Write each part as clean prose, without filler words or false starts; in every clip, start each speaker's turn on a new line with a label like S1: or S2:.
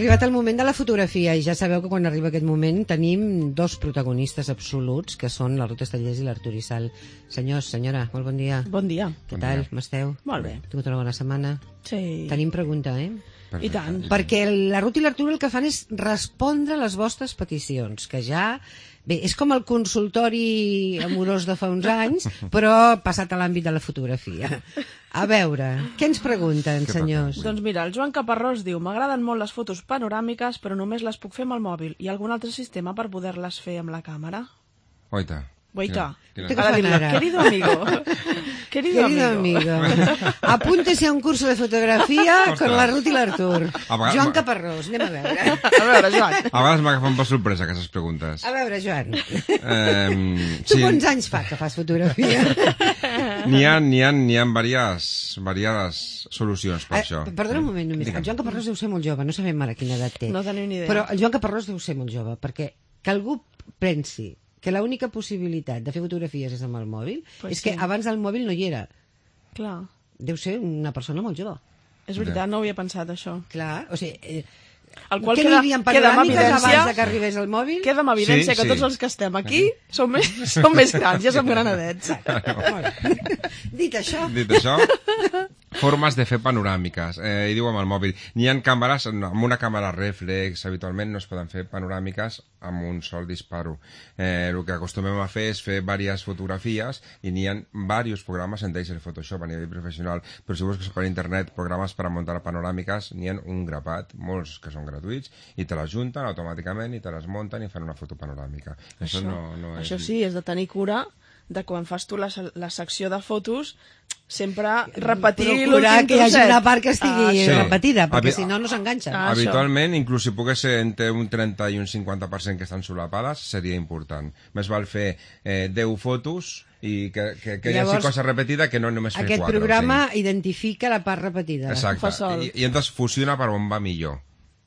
S1: arribat el moment de la fotografia i ja sabeu que quan arriba aquest moment tenim dos protagonistes absoluts que són la Ruth Estellés i l'Artur Issal. Senyors, senyora, molt bon dia.
S2: Bon dia.
S1: Què tal? Com esteu?
S2: Molt bé.
S1: Tingut una bona setmana?
S2: Sí.
S1: Tenim pregunta,
S2: I tant.
S1: Perquè la Ruth i l'Artur el que fan és respondre a les vostres peticions, que ja... Bé, és com el consultori amorós de fa uns anys, però passat a l'àmbit de la fotografia. A veure, què ens pregunten, senyors?
S2: Doncs mira, el Joan Caparrós diu: m'agraden molt les fotos panoràmiques, però només les puc fer amb el mòbil. Hi ha algun altre sistema per poder-les fer amb la càmera?
S3: Oita.
S2: Guaita.
S1: ¿Qué fan ara?
S2: Querido amigo. Querido amigo.
S1: Apúntese a un curso de fotografía con la Ruth i l'Artur. Joan Caparrós, anem a veure.
S2: A veure, Joan.
S3: A vegades m'agafen per sorpresa aquestes preguntes.
S1: A veure, Joan.
S3: Sí.
S1: Tu quants anys fa que fas fotografia?
S3: N'hi ha diverses solucions per això.
S1: Perdona un moment només. El Joan Caparrós deu ser molt jove, no sabem ara quina edat té.
S2: No tenim ni idea.
S1: Però el Joan Caparrós deu ser molt jove, perquè que algú pensi que l'única possibilitat de fer fotografies és amb el mòbil,
S2: Pues
S1: és que
S2: sí.
S1: abans el mòbil no hi era.
S2: Clar.
S1: Deu ser una persona molt jove.
S2: És veritat, no ho havia pensat, això.
S1: Clar, o sigui...
S2: El qual
S1: què n'hi havia en panoràmiques abans de que arribés el mòbil?
S2: Queda amb evidència que tots els que estem aquí som més grans, ja som granadets.
S1: Dit això...
S3: Dit això, formes de fer panoràmiques. I diu amb el mòbil. N'hi ha càmeres, amb una càmera reflex, habitualment no es poden fer panoràmiques amb un sol disparo. El que acostumem a fer és fer diverses fotografies i n'hi ha diversos programes, entre ells el Photoshop a nivell professional, però si busques per internet programes per a muntar panoràmiques, n'hi ha un grapat, molts que són gratuïts, i te les junten automàticament i te les munten i fan una foto panoràmica. Això no és...
S2: Això sí, és de tenir cura de quan fas tu la secció de fotos sempre repetir
S1: procurar que hi hagi una part que estigui
S3: Sí.
S1: repetida, perquè si no, no s'enganxa.
S3: Habitualment, inclús si pogués ser entre un 30 i un 50% que estan solapades, seria important. Més val fer 10 fotos i que hi hagi cosa repetida que no només fer 4.
S1: Aquest programa identifica la part repetida.
S3: Exacte, i entonces fusiona per on va millor.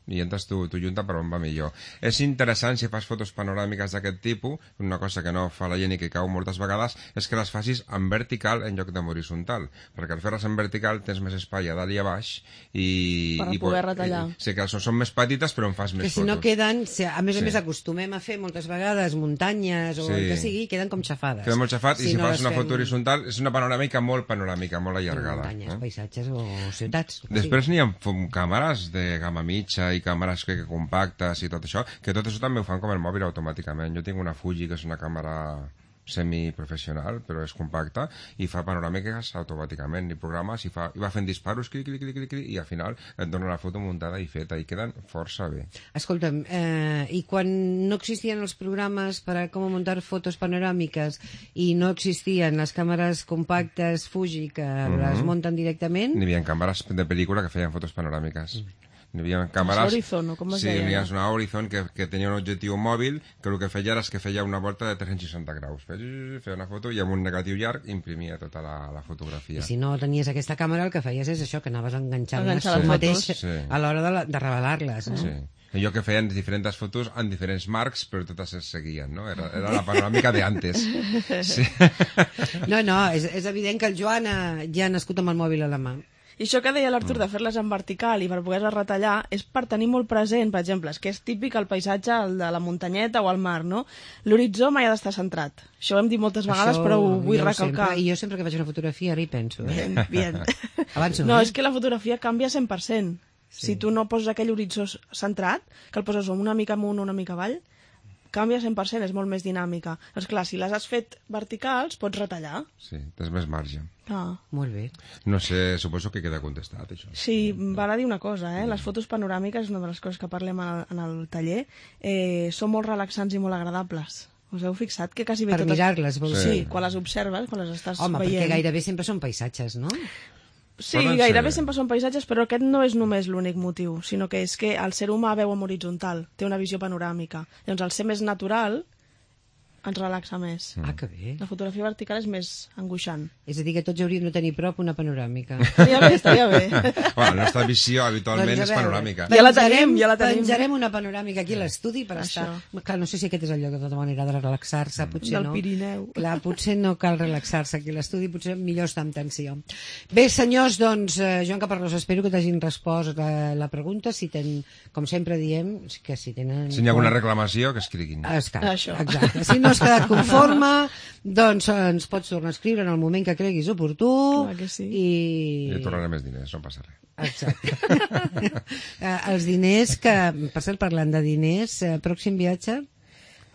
S3: I entres tu junta per on va millor. És interessant si fas fotos panoràmiques d'aquest tipus, una cosa que no fa la gent i que cau moltes vegades, és que les facis en vertical en lloc d'en horitzontal, perquè al fer-les en vertical tens més espai a dalt i a baix
S2: per poder retallar.
S3: Sí, que són més petites però en fas més
S1: fotos. Que si no queden, a més a més acostumem a fer moltes vegades muntanyes o el que sigui, queden com xafades.
S3: Queden molt xafat i si fas una foto horitzontal és una panoràmica, molt allargada.
S1: Muntanyes, paisatges o ciutats.
S3: Després n'hi ha càmeres de gamma mitja i càmeres que compactes i tot això, que tot això també ho fan com el mòbil automàticament. Jo tinc una Fuji que és una càmera semiprofessional, però és compacta i fa panoràmiques automàticament i programes i va fent disparos, clic, i al final et dona la foto muntada i feta i queden força bé.
S1: Escolta'm, i quan no existien els programes per a com muntar fotos panoràmiques i no existien les càmeres compactes Fuji que les munten directament...
S3: N'hi havia càmeres de pel·lícula que feien fotos panoràmiques. Hi havia càmeres...
S2: Horizon, o com es deia?
S3: Sí, hi havia una Horizon que tenia un objectiu mòbil que el que feia és que feia una volta de 360 graus. Feia una foto i amb un negatiu llarg imprimia tota la fotografia.
S1: I si no tenies aquesta càmera el que feies és això, que anaves enganxant-les tu mateix a l'hora de revelar-les.
S3: Sí. Jo que feien diferents fotos en diferents marcs, però totes es seguien, no? Era la panoràmica de antes. Sí.
S1: No, és evident que el Joan ja ha nascut amb el mòbil a la mà.
S2: I això que deia l'Artur de fer-les en vertical i per poder-les retallar és per tenir molt present, per exemple, és que és típic el paisatge, el de la muntanyeta o el mar, no? L'horitzó mai ha d'estar centrat. Això ho hem dit moltes vegades, però ho vull recalcar.
S1: I jo sempre que faig una fotografia ara hi penso.
S2: Bien.
S1: Abans
S2: no, és que la fotografia canvia 100%. Si tu no poses aquell horitzó centrat, que el poses una mica amunt o una mica avall, canvia 100%, és molt més dinàmica. Doncs clar, si les has fet verticals, pots retallar.
S3: Sí, tens més marge.
S1: Molt bé.
S3: No sé, suposo que queda contestat, això.
S2: Sí, val a dir una cosa, les fotos panoràmiques, és una de les coses que parlem en el taller, són molt relaxants i molt agradables. Us heu fixat que quasi bé
S1: per mirar-les, vols dir?
S2: Sí, quan les observes, quan les estàs veient.
S1: Home, perquè gairebé sempre són paisatges, no?
S2: Sí, gairebé sempre són paisatges, però aquest no és només l'únic motiu, sinó que és que el ser humà veu en horitzontal, té una visió panoràmica. Llavors, al ser més natural, ens relaxa més.
S1: Ah, que bé.
S2: La fotografia vertical és més angoixant.
S1: És a dir, que tots hauríem de tenir prop una panoràmica.
S2: Estaria bé.
S3: Bueno, la nostra visió habitualment
S1: Doncs a
S3: és
S1: veure,
S3: panoràmica.
S2: Ja la tenim.
S1: Penjarem una panoràmica aquí a l'estudi per estar... Clar, no sé si aquest és el lloc de tota manera de relaxar-se, potser
S2: Del
S1: no.
S2: Pirineu.
S1: Clar, potser no cal relaxar-se aquí a l'estudi, potser millor estar amb tensió. Bé, senyors, doncs, Joan Caparrós, espero que t'hagin respost la pregunta. Si com sempre diem, que si tenen...
S3: Si hi ha alguna reclamació, que escriguin.
S2: Això.
S1: Exacte. Si no has quedat conforme, doncs ens pots tornar a escriure en el moment que creguis oportú.
S2: Clar que sí.
S3: I tornaré més diners, no passa res.
S1: Exacte. Els diners que, per cert, parlant de diners, pròxim viatge?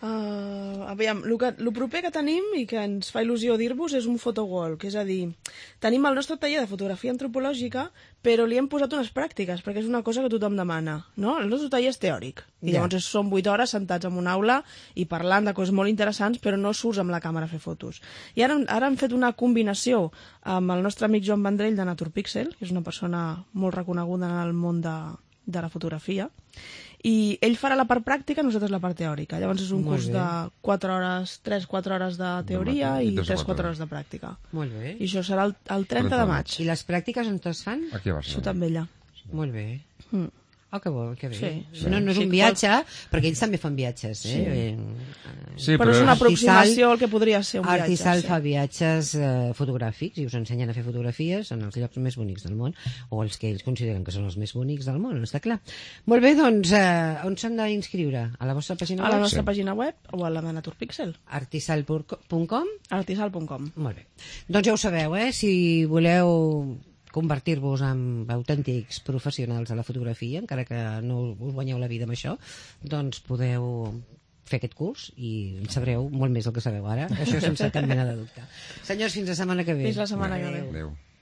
S2: Aviam, el proper que tenim i que ens fa il·lusió dir-vos és un photowalk, és a dir, tenim el nostre taller de fotografia antropològica, però li hem posat unes pràctiques, perquè és una cosa que tothom demana, no? El nostre taller és teòric, i llavors són 8 hores sentats en una aula i parlant de coses molt interessants, però no surts amb la càmera a fer fotos. I ara hem fet una combinació amb el nostre amic Joan Vendrell de Naturpixel, que és una persona molt reconeguda en el món de la fotografia, i ell farà la part pràctica, nosaltres la part teòrica. Llavors és un curs de 4 hores, 3-4 hores de teoria i 3-4 hores de pràctica.
S1: Molt bé.
S2: I això serà el 30 de maig.
S1: I les pràctiques on es fan?
S3: Aquí a Barcelona.
S2: Això també allà.
S1: Molt bé. Oh, que bo, que bé.
S2: Sí.
S1: No és un viatge, perquè ells també fan viatges.
S3: Sí,
S2: però és una aproximació al que podria ser un viatge.
S1: Artisal fa viatges fotogràfics i us ensenyen a fer fotografies en els llocs més bonics del món, o els que ells consideren que són els més bonics del món, està clar. Molt bé, doncs, on s'han d'inscriure? A la vostra pàgina web?
S2: A la nostra pàgina web o a la de Naturpixel.
S1: Artisal.com?
S2: Artisal.com.
S1: Molt bé. Doncs ja ho sabeu, si voleu convertir-vos en autèntics professionals de la fotografia, encara que no us guanyeu la vida amb això, doncs podeu fer aquest curs i en sabreu molt més del que sabeu ara, això sense cap mena de dubte. Senyors, fins la setmana que ve.
S2: Fins la setmana que ve.
S3: Adéu.